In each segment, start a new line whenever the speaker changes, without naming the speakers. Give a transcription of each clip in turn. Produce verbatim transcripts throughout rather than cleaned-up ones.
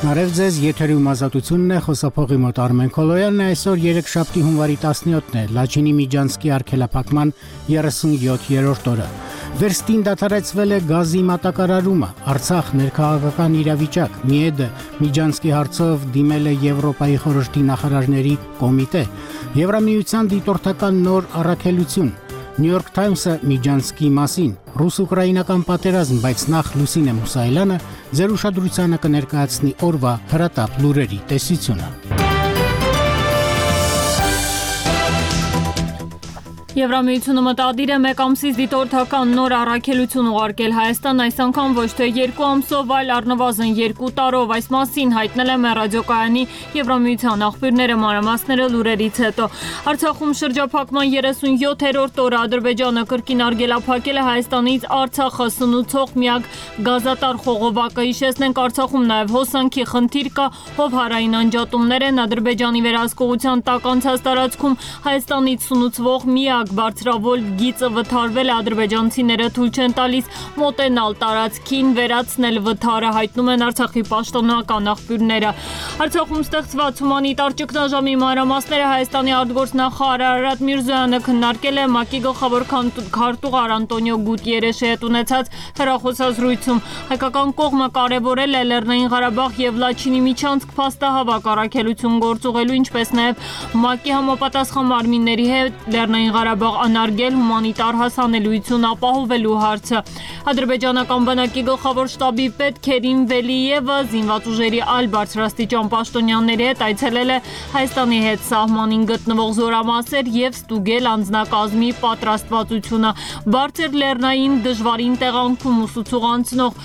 Բարև ձեզ, եթերում ազատությունն է, խոսափողի մոտ Արմեն Քոլոյանն է, այսօր երեքշաբթի հունվարի տասնյոթն է, Լաչինի Միջանցքի արգելափակման երեսունյոթերորդ օրը։ Վերստին դադարեցվել է գազի մատակարարումը, Արցախ ներքաղաքական իրավիճակ, Միեդը Միջանցքի հարցով դիմել է Եվրոպայի խորհրդի նախարարների կոմիտե, Եվրամիության դիտորդական նոր առաքելություն, New York Times-ը Միջանցքի մասին, ռուս-ուկրաինական պատերազմ, բայց նախ Լուսինե Մուսայելյանը ձեր ուշադրությանը կներկայացնի օրվա հրատապ լուրերի տեսությունը։
Եվրամիությունը մտադիր է մեկ ամսից դիտորդական նոր առաքելություն ուղարկել Հայաստան, այս անգամ ոչ թե երկու ամսով, այլ առնվազն երկու տարով, այս մասին հայտնել է մեր ռադիոկայանի Եվրամիության աղբյուրները, մանրամասները լուրերից հետո։ Արցախում շրջափակման երեսունյոթերորդ օրը Ադրբեջանը կրկին արգելափակել է Հայաստանից Արցախը սնուցող միակ գազատար խողովակը։ Հիշեցնենք, Արցախում նաև հոսանքի խնդիր կա, հովհարային անջատումներ են, Ադրբեջանի վերահսկողության տակ անցած տարածքում Հայաստանից սնուցվող միակ բարձրավոլ գիծը վթարվել է, ադրբեջանցիները թույլ չեն տալիս մոտենալ տարածքին, վերացնել վթարը, հայտնում են Արցախի պաշտոնական աղբյուրները։ Արցախում ստեղծված հումանիտար ճգնաժամի մանրամասները Հայաստանի արտգործնախարար Արարատ Միրզոյանը քննարկել է ՄԱԿ-ի գլխավոր քարտուղար Անտոնիո Գուտիերեշի հետ ունեցած հեռախոսազրույցում։ Հայկական կողմը կարևորել է Լեռնային Ղարաբաղ եւ Լաչինի Միջանցք փաստահավաք առաքելություն գործուղելու, ինչպես նաեւ ՄԱԿ-ի համապատասխան մարմինների հետ Լեռնային Ղարաբաղ անարգել հումանիտար հասանելիություն ապահովելու հարցը։ Ադրբեջանական բանակի գլխավոր շտաբի պետ Քերիմ Վելիևը զինված ուժերի այլ բարձրաստիճան պաշտոնյաների հետ այցելել է Հայաստանի հետ սահմանին գտնվող զորամասեր եւ ստուգել անձնակազմի պատրաստվածությունը։ Բարձր լեռնային դժվարին տեղանքում ուսուցող անցնող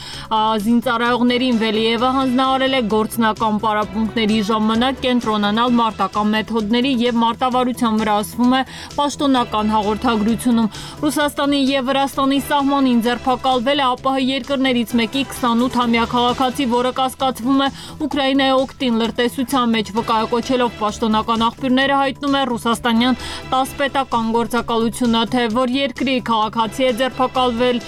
զինծառայողներին Վելիևը հանձնարարել է գործնական պարապմունքների ժամանակ կենտրոնանալ մարտական մեթոդների եւ մարտավարության վրա, ասվում է պաշտոնական հաղորդագրությունում։ Ռուսաստանի եւ Վրաստանի սահմանին ձերբակալվել է ԱՊՀ երկրներից մեկի քսանութամյա քաղաքացի, որը կասկածվում է Ուկրաինայի օգտին լրտեսության մեջ վկայակոչելով պաշտոնական աղբյուրները հայտնում է ռուսաստանյան տաս պետական գործակալությունը, թե որ երկրի քաղաքացի է ձերբակալվել,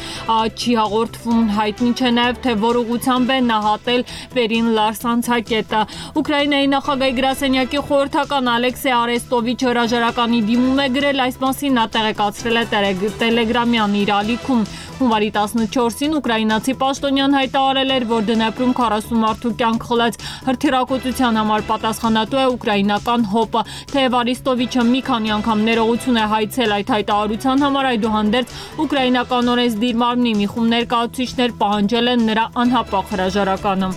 չի հաղորդվում, հայտնի չէ նաեւ թե որ ուղղությամբ է նահատել վերին լարսանցակետը։ Ուկրաինայի նախագահի գրասենյակի խորհրդական Ալեքսեյ Արեստովիչ հրաժարականի դիմում է գրել, այս մասին նա տեղեկացրել է Տելեգրամյան իր ալիքում։ Հունվարի տասնչորսին ուկրաինացի պաշտոնյան հայտարարել էր, որ Դնեպրում քառասուն մարդու կյանք խլած հրթիռակոծության համար պատասխանատու է ուկրաինական հոպը։ Թեև Արեստովիչը մի քանի անգամ ներողություն է հայցել այդ հայտարարության համար, այդուհանդերձ ուկրաինական օրենսդիր մարմնի մի խումբ ներկայացուցիչներ պահանջել են նրա անհապաղ հրաժարականը։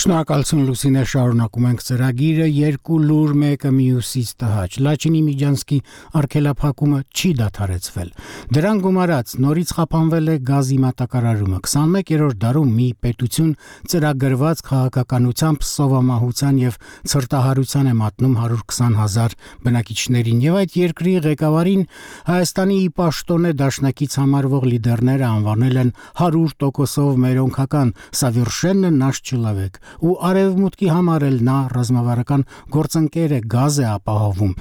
Շնորհակալություն Լուսինե, շարունակում ենք ծրագիրը, երկու լուր, մեկը մյուսից տհաճ։ Լաչինի Միջանցքի արգելափակումը չի դադարեցվել։ Դրան գումարած նորից խափանվել է գազի մատակարարումը։ քսանմեկերորդ դարում մի պետություն ծրագրված քաղաքականությամբ սովամահության եւ ցրտահարության է մատնում հարյուր քսան հազար բնակիչներին, եւ այդ երկրի ղեկավարին Հայաստանի պաշտոնե դաշնակից համարվող լիդերները անվանել են հարյուր տոկոսով մերոնքական «Սավերշեննը նаш չելավեկ» ու արևմուտքի համար էլ նա ռազմավարական գործընկեր է, գազ է ապահովում։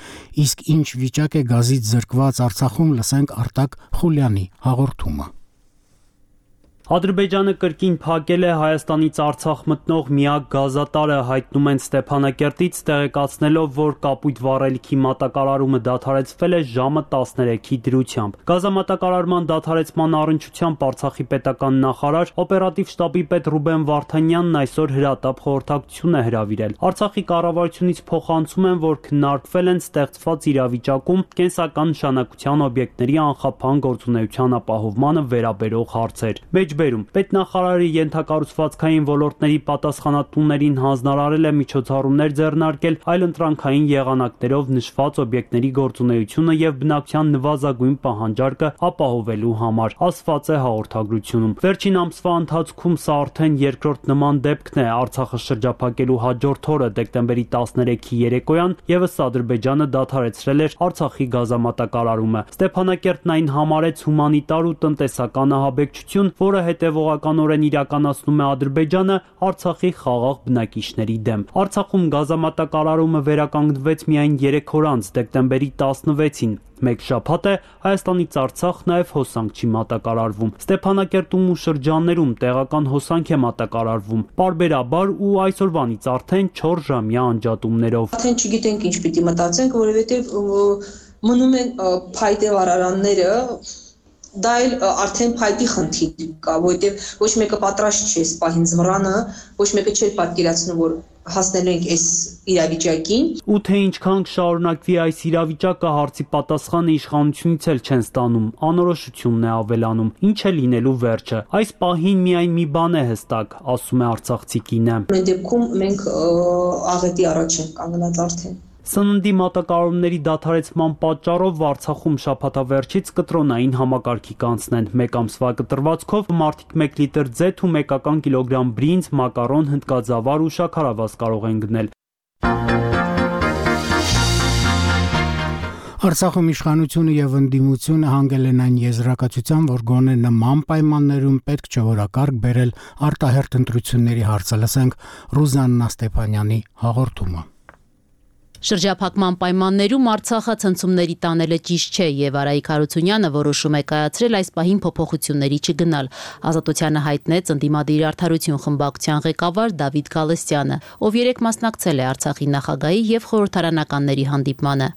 Իսկ ինչ վիճակ է գազից զրկված Արցախում, լսենք Արտակ Խուլյանի հաղորդումը։
Ադրբեջանը կրկին փակել է Հայաստանից Արցախ մտնող միակ գազատարը, հայտնում են Ստեփանակերտից, տեղեկացնելով, որ կապույտ վառելիքի մատակարարումը դադարեցվել է ժամը տասներեքի դրությամբ։ Գազամատակարարման դադարեցման առնչությամբ Արցախի պետական նախարար, օպերատիվ շտաբի պետ Ռուբեն Վարդանյանն այսօր հրատապ խորհրդակցություն է հրավիրել։ Արցախի կառավարությունից փոխանցում են, որ քննարկվել են ստեղծված իրավիճակում կենսական նշանակության օբյեկտների անխափան գործունեության ապահովմանը վերաբերող հարցեր։ Մեջբերում պետնախարարի ենթակառուցվածքային ոլորտների պատասխանատուներին հանձնարարել է միջոցառումներ ձեռնարկել այլընտրանքային եղանակներով նշված օբյեկտների գործունեությունը եւ բնակչության նվազագույն պահանջարկը ապահովելու համար, ասված է հաղորդագրությունում։ Վերջին ամսվա ընթացքում սա արդեն երկրորդ նման դեպքն է։ Արցախը շրջափակելու հաջորդ օրը դեկտեմբերի տասներեքի երեկոյան եւս Ադրբեջանը դադարեցրել էր Արցախի գազամատակարարումը։ Ստեփանակերտն այն համարեց հումանիտար ու տնտեսական ահաբեկչություն, որը որը հետևողականորեն իրականացնում է Ադրբեջանը Արցախի խաղաղ բնակիչների դեմ։ Արցախում գազամատակարարումը վերականգնվեց միայն երեք օր անց, դեկտեմբերի տասնվեցին։ Մեկ շաբաթ է Հայաստանից Արցախ նաև հոսանք չի մատակարարվում։ Ստեփանակերտում ու շրջաններում տեղական հոսանք է մատակարարվում, պարբերաբար ու այսօրվանից արդեն չորս ժամյա անջատումներով։
Արդեն չգիտենք ինչ պիտի մտածենք, որովհետև մնում են փայտե վարարանները, դա էլ արդեն փայտի խնդիր կա, որովհետև ոչ մեկը պատրաստ չէ սպահին զմռանը, ոչ մեկը չէ պատկերացնում, որ հասնելու ենք այս իրավիճակին։
Ու թե ինչքան կշարունակվի այս իրավիճակը հարցի պատասխանը իշխանությունից էլ չեն ստանում, անորոշությունն է ավելանում, ինչ է լինելու վերջը։ Այս պահին միայն մի բան է հստակ, ասում է արցախցի կինը։
Մեր դեպքում մենք աղետի առաջ ենք կանգնած արդեն։
Սննդի մատակարարումների դադարեցման պատճառով Արցախում շաբաթավերջից կտրոնային համակարգի կանցնեն։ Մեկ ամսվա կտրվածքով մարդիկ մեկ լիտր ձեթ ու մեկական կիլոգրամ բրինձ, մակարոն, հնդկածավար ու շաքարավազ կարող են գնել։
Արցախում իշխանությունը եւ ընդդիմությունը հանգել են այն եզրակացության, որ գոնե նման պայմաններում պետք չէ որակարգ բերել արտահերթ ընտրությունների հարցը, լսենք Ռուզաննա Ստեփանյանի հաղորդումը։
Շրջափակման պայմաններում Արցախը ցնցումների տանելը ճիշտ չէ եւ Արայիկ Հարությունյանը որոշում է կայացրել այս պահին փոփոխությունների չգնալ։ Ազատությանը հայտնեց ընդդիմադիր արդարություն խմբակցության ղեկավար Դավիթ Գալստյանը, ով երեկ մասնակցել է Արցախի նախագահի եւ խորհրդարանականների հանդիպմանը։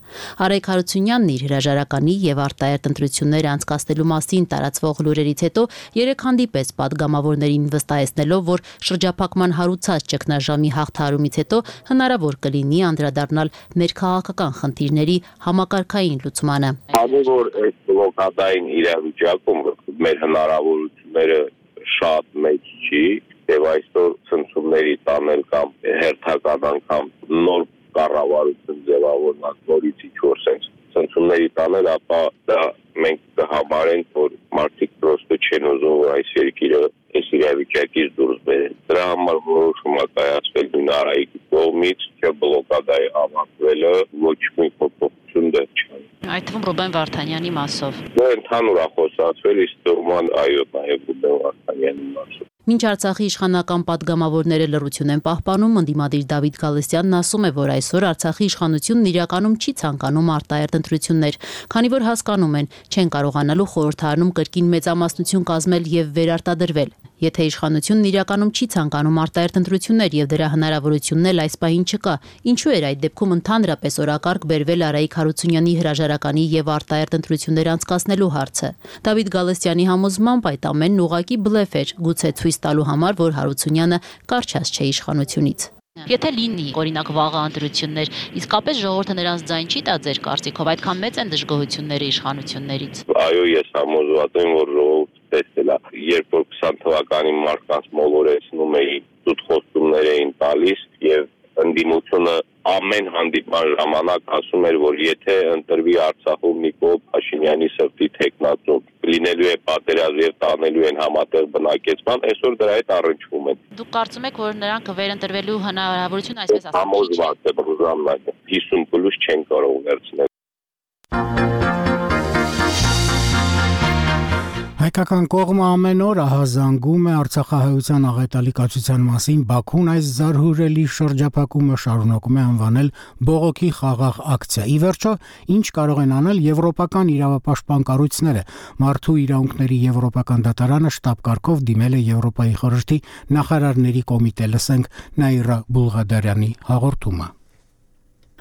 Արայիկ Հարությունյանն իր հրաժարականի եւ արտահերթ ընտրություններ անցկացնելու մասին տարածվող լուրերից հետո երեկ հանդիպեց պատգամավորներին վստահեցնելով, որ շրջափակման հարուցած ճգնաժամի հաղթահարումից հետո հնարավոր կլինի անդրադառնալ մեր քաղաքական խնդիրների համակարգային լուծմանը։
Քանի որ այս բլոկադային իրավիճակում մեր հնարավորությունները շատ մեծ չի եւ այսօր ցնցումների տանել կամ հերթական անգամ նոր կառավարություն ձևավորած նորից ինչ-որ sense ցնցումների տանել, ապա դա մենք կհամարենք, որ մարդիկ պրոստը չեն ուզում, որ այս երկիրը այս իրավիճակից դուրս բերեն։ Դրա համար որոշում է կայացվել նույն Արայիկի կողմից, չէ բլոկադայի ավարտվելը ոչ մի փոփոխություն դեռ չկա։
Այդ թվում Ռուբեն Վարդանյանի մասով։
Դա ընդհանուր է խոսացվել, իսկ դուրման այո նաև Ռուբեն Վարդանյանի մասով։
Մինչ Արցախի իշխանական պատգամավորները լռություն են պահպանում, ընդդիմադիր Դավիթ Գալստյանն ասում է, որ այսօր Արցախի իշխանությունն իրականում չի ցանկանում արտահերթ ընտրություններ, քանի որ հասկանում են, չեն կարողանալու խորհրդարանում կրկին մեծամասնություն կազմել եւ վերարտադրվել։ Եթե իշխանությունն իրականում չի ցանկանում արտահերթ ընտրություններ եւ դրա հնարավորությունն էլ այս պահին չկա, ինչու էր այդ դեպքում ընդհանրապես օրակարգ բերվել Արայիկ Հարությունյանի հրաժարականի եւ արտահերթ ընտրություններ անցկացնելու հարցը։ Դավիթ Գալստյանի համոզմամբ այդ ամենն ուղղակի բլեֆ էր, գուցե ցույց տալու համար, որ Հարությունյանը կարճած չէ իշխանությունից։ Եթե լինի, օրինակ վաղը ընտրություններ, իսկապես ժողովուրդը նրանց ձայն չի տա ձեր կարծիքով, այդքան մեծ են դժգոհությունները իշխանություններից։
Այո, ես համոզված եմ, որ ժողովուրդը տեսել է, երբ որ քսան թվականի մարդկանց մոլորեցնում էին, ծուտ խոստումներ էին տալիս եւ ընդդիմությունը ամեն հանդիպման ժամանակ ասում էր, որ եթե ընտրվի Արցախում Նիկոլ Փաշինյանի սրտի թեկնածու, լինելու է պատերազմ եւ տանելու են համատեղ բնակեցման, այսօր դրա հետ առնչվում են։
Դուք կարծում եք, որ նրանք վերընտրվելու հնարավորություն այսպես ասած
համոզված եմ, Ռուզաննա, հիսուն պլյուս չեն կարող վերցնել։
Հայկական կողմը ամեն օր ահազանգում է արցախահայության աղետալի կացության մասին, Բաքուն այս զարհուրելի շրջափակումը շարունակում է անվանել բողոքի խաղաղ ակցիա։ Ի վերջո, ինչ կարող են անել եվրոպական իրավապաշտպան կառույցները։ Մարդու իրավունքների եվրոպական դատարանը շտաբ կարգով դիմել է Եվրոպայի խորհրդի նախարարների կոմիտե, լսենք Նաիրա Բուլղադարյանի հաղորդումը։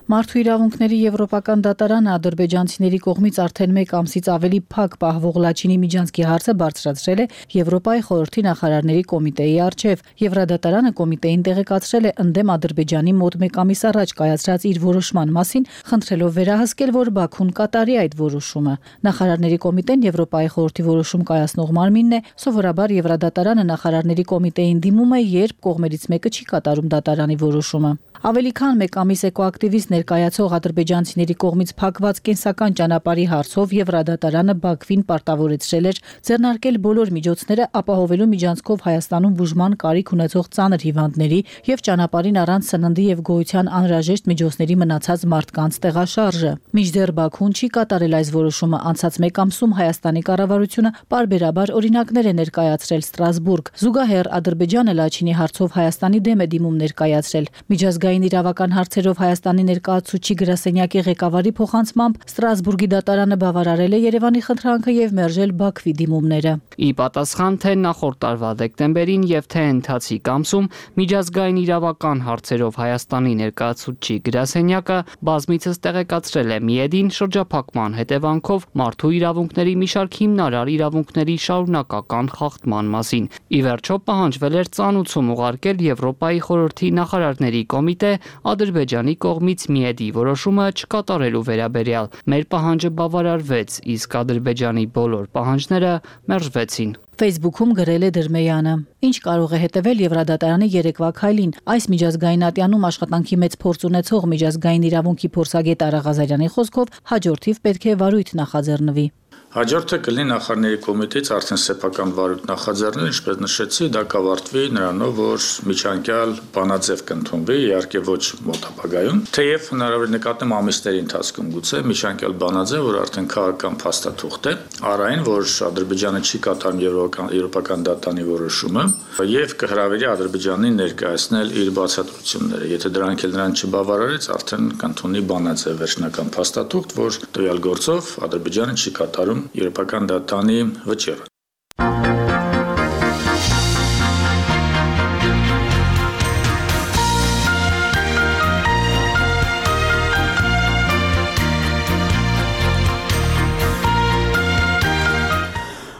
Մարդու իրավունքների եվրոպական դատարանը ադրբեջանցիների կողմից արդեն մեկ ամսից ավելի փակ պահվող Լաչինի Միջանցքի հարցը բարձրացրել է Եվրոպայի խորհրդի նախարարների կոմիտեի առջև։ Եվրադատարանը կոմիտեին տեղեկացրել է ընդդեմ Ադրբեջանի մոտ մեկ ամիս առաջ կայացրած իր որոշման մասին, խնդրելով վերահսկել, որ Բաքուն կատարի այդ որոշումը։ Նախարարների կոմիտեն Եվրոպայի խորհրդի որոշում կայացնող մարմինն է, սովորաբար Եվրադատարանը նախարարների կոմիտեին դիմում է, երբ կողմերից մեկը չի կատարում դատարանի որոշումը։ Ավելի քան մեկ ամիս էկոակտիվիստներ ներկայացող ադրբեջանցիների կողմից փակված կենսական ճանապարհի հարցով Եվրադատարանը Բաքվին պարտավորեցրել էր ձեռնարկել բոլոր միջոցները ապահովելու միջանցքով Հայաստանում բուժման կարիք ունեցող ծանր հիվանդների եւ ճանապարհին առանց սննդի եւ գոյության անհրաժեշտ միջոցների մնացած մարդկանց տեղաշարժը։ Մինչդեռ Բաքուն չի կատարել այս որոշումը, անցած մեկ ամսում Հայաստանի կառավարությունը պարբերաբար օրինակներ է ներկայացրել Ստրասբուրգ։ Զուգահեռ Ադրբեջանը Լաչինի հարցով Հայաստանի դեմ է դիմում ներկայացրել։ Միջազգային իրավական հարցերով Հայաստանի ներկայացուցիչ գրասենյակի ղեկավարի փոխանցմամբ Ստրասբուրգի դատարանը բավարարել է Երևանի խնդրանքը եւ մերժել Բաքվի դիմումները։
Ի պատասխան թե նախորդ տարվա դեկտեմբերին եւ թե ընթացիկ ամսում միջազգային իրավական հարցերով Հայաստանի ներկայացուցիչ գրասենյակը բազմիցս տեղեկացրել է Միեդին շրջափակման հետևանքով մարդու իրավունքների մի շարք հիմնարար իրավունքների շարունակական խախտման մասին։ Ի վերջո պահանջվել էր ծանուցում ուղարկել Եվրոպայի խորհրդի նախարարների կոմիտե Ադրբեջանի կողմից Միեդի որոշումը չկատարելու վերաբերյալ։ Մեր պահանջը բավարարվեց, իսկ Ադրբեջանի բոլոր պահանջները մերժվեցին։
Facebook-ում գրել է Դրմեյանը. Ինչ կարող է հետևել Եվրադատարանի երեկվա քայլին։ Այս միջազգային ատյանում աշխատանքի մեծ փորձ ունեցող միջազգային իրավունքի փորձագետ Արա Ղազարյանի խոսքով հաջորդիվ պետք է վարույթ նախաձեռնվի։
Հաջորդը կլինի նախարարների կոմիտեից արդեն սեփական վարույթ նախաձեռնել, ինչպես նշեցի, դա կավարտվի նրանով, որ միջանկյալ բանաձև կընդունվի, իհարկե ոչ մոտ ապագայում, թեև հնարավոր նկատեմ ամիսների ընթացքում գուցե միջանկյալ բանաձև, որ արդեն քաղաքական փաստաթուղթ է, առայն, որ Ադրբեջանը չի կատարում եվրոպական դատարանի որոշումը եւ կհրավիրի Ադրբեջանին ներկայացնել իր բացատրությունները։ Եթե դրանք էլ նրան չբավարարեց, արդեն կընդունի բանաձև վերջնական փաստաթուղթ, որ տվյալ գործով Ադրբեջանը չի կատարում եվրոպական դատարանի վճիռը։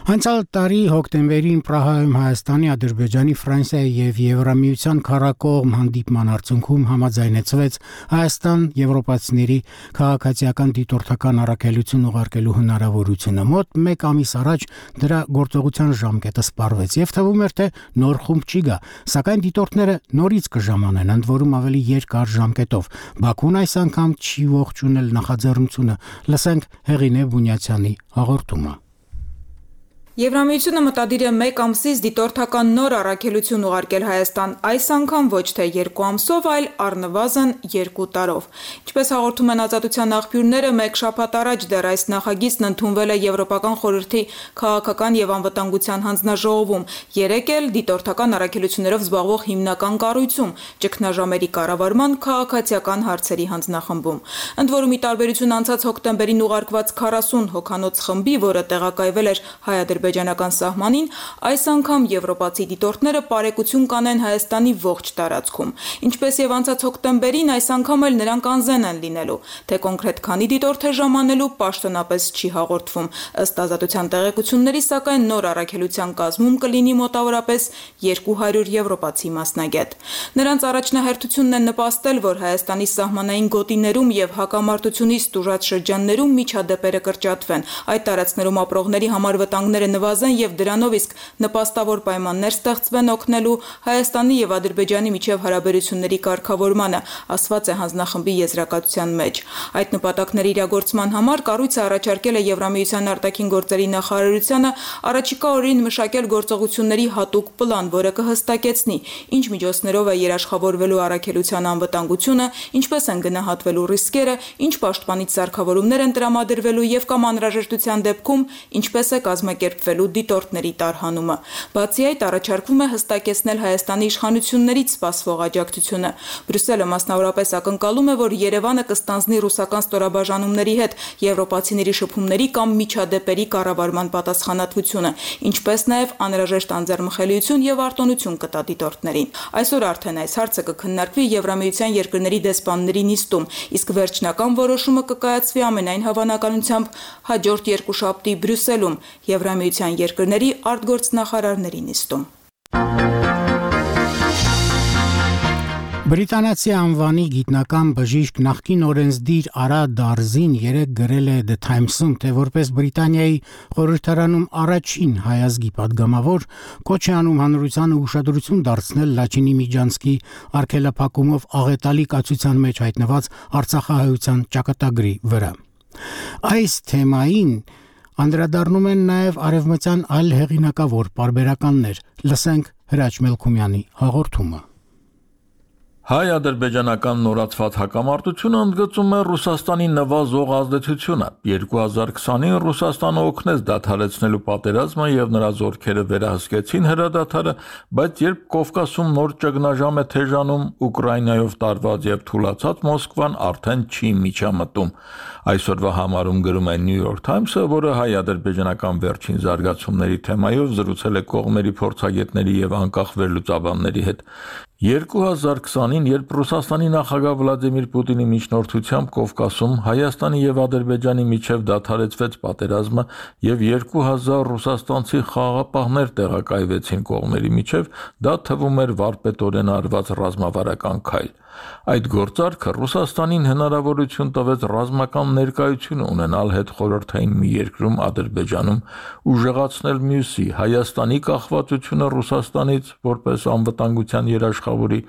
Անցյալ տարի հոկտեմբերին Պրահայում Հայաստանի, Ադրբեջանի, Ֆրանսիայի եւ Եվրամիության քառակողմ հանդիպման արդյունքում համաձայնեցվեց Հայաստան եվրոպացիների քաղաքացիական դիտորդական առաքելություն ուղարկելու հնարավորությունը։ Մոտ մեկ ամիս առաջ դրա գործողության ժամկետը սպառվեց եւ թվում էր, թե նոր խումբ չի գա, սակայն դիտորդները նորից կժամանեն, ընդ որում ավելի երկար ժամկետով։ Բաքուն այս անգամ չի ողջունել նախաձեռնությունը։ Լսենք Հեղինե Բունյացյանի հաղորդումը։
Եվրամիությունը մտադիր է մեկ ամսից դիտորդական նոր առաքելություն ուղարկել Հայաստան, այս անգամ ոչ թե երկու ամսով, այլ առնվազն երկու տարով։ Ինչպես հաղորդում են Ազատության աղբյուրները, մեկ շաբաթ առաջ դեռ այս նախագիծն ընդունվել է Եվրոպական խորհրդի քաղաքական եւ անվտանգության հանձնաժողովում, երեկ էլ դիտորդական առաքելություններով զբաղվող հիմնական կառույցում, ճգնաժամերի կառավարման քաղաքացիական հարցերի հանձնախմբում։ Ընդ որում, ի տարբերություն անցած հոկտեմբերին ուղարկված քառասուն հոգանոց խմբի, որը տեղակայվել էր հայ-ադրբեջանական սահմանին, այս անգամ եվրոպացի դիտորդները բարեկություն կանեն Հայաստանի ողջ տարածքում։ Ինչպես եւ անցած հոկտեմբերին, այս անգամ էլ նրանք անզեն են լինելու, թե կոնկրետ քանի դիտորդ է ժամանելու պաշտոնապես չի հաղորդվում։ Ըստ Ազատության տեղեկությունների, սակայն նոր առաքելության կազմում կլինի մոտավորապես երկու հարյուր եվրոպացի մասնագետ։ Նրանց առաջնահերթությունն է նպաստել, որ Հայաստանի սահմանային գոտիներում եւ հակամարտությունից տուժած շրջաններում միջադեպերը կրճատվեն, այդ տարածքներում ապրողների համար վտանգները նվազեն եւ դրանով իսկ նպաստավոր պայմաններ ստեղծվեն օգնելու Հայաստանի եւ Ադրբեջանի միջև հարաբերությունների կարգավորմանը, ասված է հանձնախմբի եզրակացության մեջ։ Այդ նպատակների իրագործման համար կառույցը առաջարկել է Եվրամիության արտաքին գործերի նախարարությանը առաջիկա օրերին մշակել գործողությունների հատուկ պլան, որը կհստակեցնի ինչ միջոցներով է երաշխավորվելու առաքելության անվտանգությունը, ինչպես են գնահատվելու ռիսկերը, ինչ պաշտպանիչ սարքավորումներ են տրամադրվելու եւ կամ անհրաժեշտության դեպքում ինչպես է կազմակերպվելու դիտորդների տարհանումը։ Բացի այդ, առաջարկվում է հստակեցնել Հայաստանի իշխանություններից սպասվող աջակցությունը։ Բրյուսելը մասնավորապես ակնկալում է, որ Երևանը կստանձնի ռուսական ստորաբաժանումների հետ եվրոպացիների շփումների կամ միջադեպերի կառավարման պատասխանատվությունը, ինչպես նաև անհրաժեշտ անձեռնմխելիություն եւ արտոնություն կտա դիտորդներին։ Այսօր արդեն այս հարցը կքննարկվի Եվրամիության երկրների դեսպանների նիստում, իսկ վերջնական որոշումը կկայացվի ամենայն հավանականությամբ հաջորդ երկուշաբթի Բրյուսելում Եվրամիության երկրների արտգործնախարարների նիստում։
Բրիտանացի անվանի գիտնական բժիշկ նախկին օրենսդիր Արա Դարզին երեկ գրել է The Times-ում, թե որպես Բրիտանիայի խորհրդարանում առաջին հայազգի падգամավոր կոչ է անում հանրությանը ուշադրություն դարձնել Լաչինի Միջանցքի արգելափակումով աղետալի կացության մեջ հայտնված արցախահայության ճակատագրի վրա։ Այս թեմային անդրադառնում են նաև արևմտյան այլ հեղինակավոր պարբերականներ։ Լսենք Հրաչ Մելքումյանի հաղորդումը։
Հայ-ադրբեջանական նորացված հակամարտությունը ընդգծում է Ռուսաստանի նվազող ազդեցությունը։ երկու հազար քսանին Ռուսաստանը օգնեց դադարեցնելու պատերազմը եւ նրա զորքերը վերահսկեցին հրադադարը, բայց երբ Կովկասում նոր ճգնաժամ է թեժանում, Ուկրաինայով տարված եւ թուլացած Մոսկվան արդեն չի միջամտում։ Այսօրվա համարում գրում է New York Times-ը, որը հայ-ադրբեջանական վերջին զարգացումների թեմայով զրուցել է կողմերի փորձագետների եւ անկախ վերլուծաբանների հետ։ երկու հազար քսանին, երբ Ռուսաստանի նախագահ Վլադիմիր Պուտինի միջնորդությամբ Կովկասում Հայաստանի եւ Ադրբեջանի միջև դադարեցվեց պատերազմը եւ երկու հազար ռուսաստանցի խաղաղապահներ տեղակայվեցին կողմերի միջև, դա թվում էր վարպետորեն արված ռազմավարական քայլ։ Այդ գործարքը Ռուսաստանին հնարավորություն տվեց ռազմական ներկայություն ունենալ հետխորհրդային մի երկրում Ադրբեջանում, ուժեղացնել մյուսի Հայաստանի կախվածությունը Ռուսաստանից որպես անվտանգության երաշխավորի,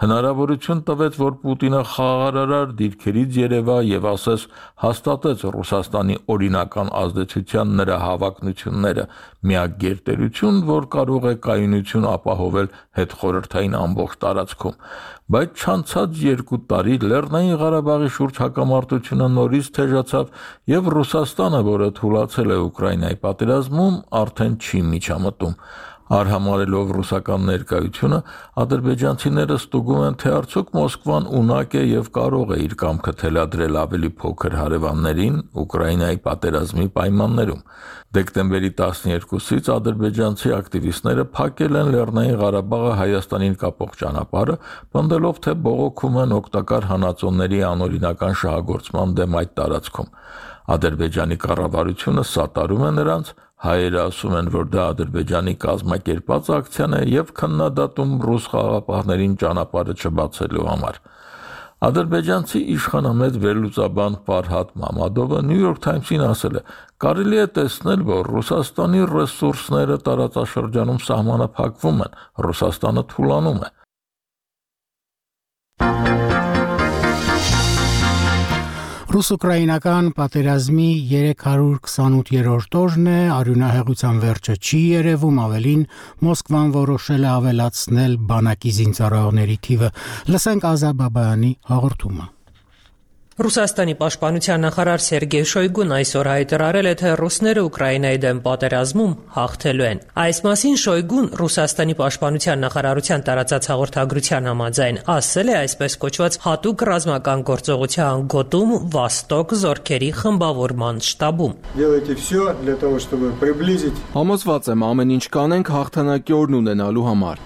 հնարավորություն տվեց, որ Պուտինը խաղաղարար դիրքերից երևա եւ ասես հաստատեց Ռուսաստանի օրինական ազդեցության նրա հավակնությունները, միակ գերտերություն, որ կարող է կայունություն ապահովել հետխորհրդային ամբողջ տարածքում։ Բայց չանցած երկու տարի Լեռնային Ղարաբաղի շուրջ հակամարտությունը նորից թեժացավ եւ Ռուսաստանը, որը թուլացել է Ուկրաինայի պատերազմում, արդեն չի միջամտում։ Արհամարելով ռուսական ներկայությունը, ադրբեջանցիները ստուգում են, թե արդյոք Մոսկվան ունակ է եւ կարող է իր կամքը թելադրել ավելի փոքր հարևաններին Ուկրաինայի պատերազմի պայմաններում։ Դեկտեմբերի տասներկուսից ադրբեջանցի ակտիվիստները փակել են Լեռնային Ղարաբաղը Հայաստանին կապող ճանապարհը, պնդելով, թե բողոքում են օգտակար հանածոների անօրինական շահագործման դեմ այդ տարածքում։ Ադրբեջանի կառավարությունը սատարում է նրանց, հայերը ասում են, որ դա Ադրբեջանի կազմակերպած ակցիան է եւ քննադատում ռուս խաղաղապահներին ճանապարհը չբացելու համար։ Ադրբեջանցի իշխանամետ վերլուծաբան Ֆարհադ Մամադովը New York Times-ին ասել է. կարելի է տեսնել, որ Ռուսաստանի ռեսուրսները տարածաշրջանում սահմանափակվում են, Ռուսաստանը թուլանում է։
Ռուս-ուկրաինական պատերազմի երեք հարյուր քսանութերորդ օրն է, արյունահեղության վերջը չի երևում, ավելին Մոսկվան որոշել է ավելացնել բանակի զինծառայողների թիվը։ Լսենք Ազա Բաբայանի հաղորդումը։
Ռուսաստանի պաշտպանության նախարար Սերգեյ Շոյգուն այսօր հայտարարել է, թե ռուսները Ուկրաինայի դեմ պատերազմում հաղթելու են։ Այս մասին Շոյգուն Ռուսաստանի պաշտպանության նախարարության տարածած հաղորդագրության համաձայն ասել է այսպես կոչված հատուկ ռազմական գործողության գոտում Վոստոկ զորքերի խմբավորման շտաբում։
Համոզված եմ, ամեն ինչ կանենք հաղթանակի օրն ունենալու համար։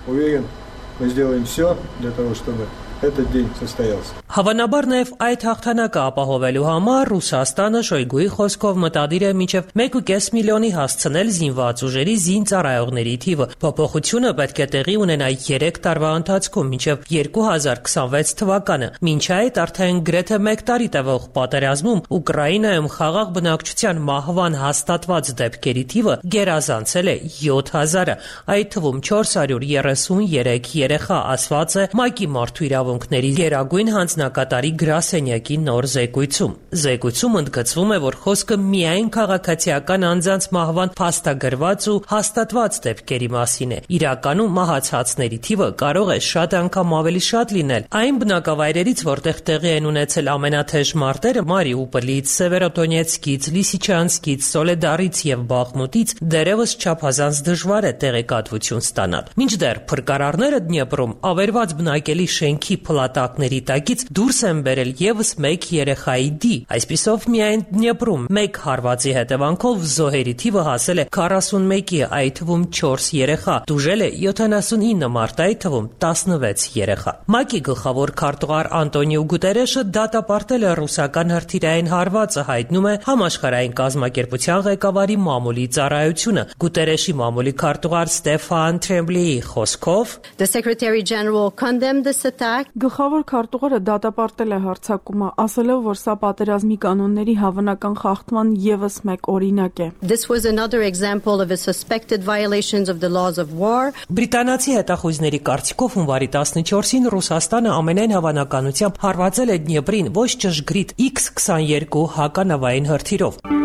Этот день состоялся.
Հավանաբար նաև այդ հաղթանակը ապահովելու համար Ռուսաստանը Շոյգուի խոսքով մտադիր է մինչև մեկ ու կես միլիոնի հասցնել զինված ուժերի զինծառայողների թիվը։ Փոփոխությունը պետք է տեղի ունենա երեք տարվա ընթացքում մինչև երկու հազար քսանվեց թվականը։ Մինչ այդ արդեն գրեթե մեկ տարի տևող պատերազմում Ուկրաինայում խաղաղ բնակչության մահվան հաստատված դեպքերի թիվը գերազանցել է յոթ հազարը, այդ թվում չորս հարյուր երեսուներեք երեխա, ասված է ՄԱԿ-ի մարդու իրավունքների գերագույն հանձնակատարի գրասենյակի նոր զեկույցում։ Զեկույցում ընդգծվում է, որ խոսքը միայն քաղաքացիական անձանց մահվան փաստագրված ու հաստատված դեպքերի մասին է։ Իրականում մահացածների թիվը կարող է շատ անգամ ավելի շատ լինել։ Այն բնակավայրերից, որտեղ տեղի են ունեցել ամենաթեժ մարտերը Մարիուպոլից, Սևերոդոնեցկից, Լիսիչանսկից, Սոլեդարից եւ Բախմուտից, դերևս չափազանց դժվար է տեղեկատվություն ստանալ։ Մինչդեռ փրկարարները Դնեպրում ավերված բնակելի շենքի փլատակների տակից դուրս են բերել եւս մեկ երեխայի դի։ Այսպիսով միայն Դնեպրում մեկ հարվածի հետևանքով զոհերի թիվը հասել է քառասունմեկի, այդ թվում չորս երեխա, տուժել է յոթանասունինը մարդ, այդ թվում տասնվեց երեխա։ ՄԱԿ-ի գլխավոր քարտուղար Անտոնիո Գուտերեշը դատապարտել է ռուսական հրթիռային հարվածը, հայտնում է Համաշխարհային կազմակերպության ղեկավարի մամուլի ծառայությունը։ Գուտերեշի մամուլի քարտուղար Ստեֆան Թրեմբլեի խոսքով
The Secretary General condemned this attack Գլխավոր քարտուղարը դատապարտել է հարձակումը, ասելով, որ սա պատերազմի կանոնների հավանական խախտման ևս մեկ օրինակ է։
This was another example of a suspected violations of the laws of war.
Բրիտանացի հետախույզների կարծիքով հունվարի տասնչորսին Ռուսաստանը ամենայն հավանականությամբ հարվածել է Դնեպրին ոչ ճշգրիտ իքս քսաներկու հականավային հրթիռով։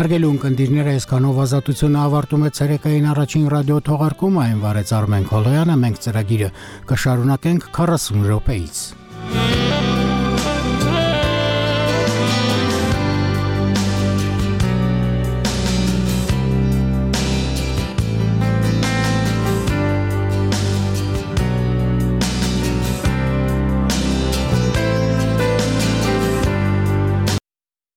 Հարգելի ունկնդիրները, այսքանով ազատությունը ավարտում է ցերեկային առաջին ռադիո թողարկումը, այն վարեց Արմեն Քոլոյանը, մենք ծրագիրը կշարունակենք քառասուն րոպեից։